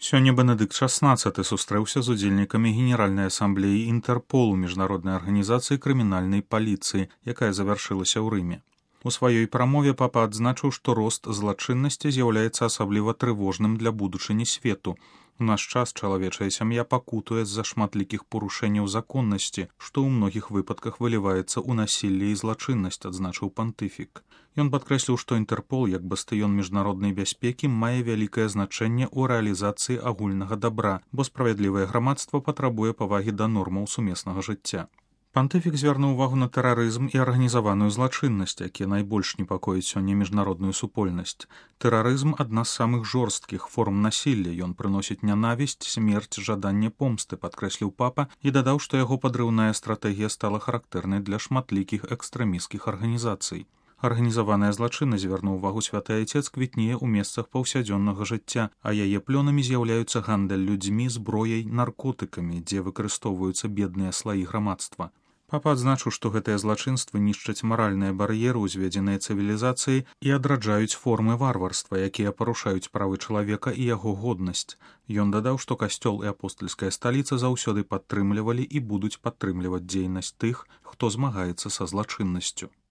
Сёння Бенедыкт XVI сустрэўся з удзельнікамі Генеральнай асамблеі Інтэрполу міжнароднай арганізацыі крымінальнай паліцыі, якая завяршылася ў Рыме. У сваёй прамове папа адзначыў, што рост злачыннасці з'яўляецца асабліва трывожным для будучыні свету. У наш час чалавечая сям'я пакутуе з-за шматлікіх парушэнняў законнасці, што ў многіх выпадках выліваецца ў насілле і злачыннасць, адзначыў пантыфік. Ён падкрэсліў, што Інтэрпол, як бастыён міжнароднай бяспекі, мае вялікае значэнне ў рэалізацыі агульнага дабра, бо справядлівае грамадства патрабуе павагі да нормаў сумеснага жыцця. Пантыфік звярнуў увагу на тэрарызм і арганізаваную злачыннасць, якія найбольш непакояць сёння міжнародную супольнасць. Тэрарызм адна з самых жорсткіх форм насілля, ён прыносіць нянавісць, смерць, жаданне помсты, падкрэсліў папа і дадаў, што яго падрыўная стратэгія стала характэрнай для шматлікіх экстрэмісцкіх арганізацый. Арганізаваная злачыннасць, звярнуў увагу святы айцец, квітнее ў месцах паўсядзённага жыцця, а яе плёнамі з'яўляюцца гандаль людзьмі, зброяй, наркотыкамі, дзе выкарыстоўваюцца бедныя слаі грамадства. Папа адзначыў, што гэтыя злачынствы нішчаць маральныя бар'еры, узведзеныя цывілізацыяй, і адраджаюць формы варварства, якія парушаюць правы чалавека і яго годнасць. Ён дадаў, што касцёл і апостальская сталіца заўсёды падтрымлівалі і будуць падтрымліваць дзейнасць тых, хто змагаецца са злачыннасцю.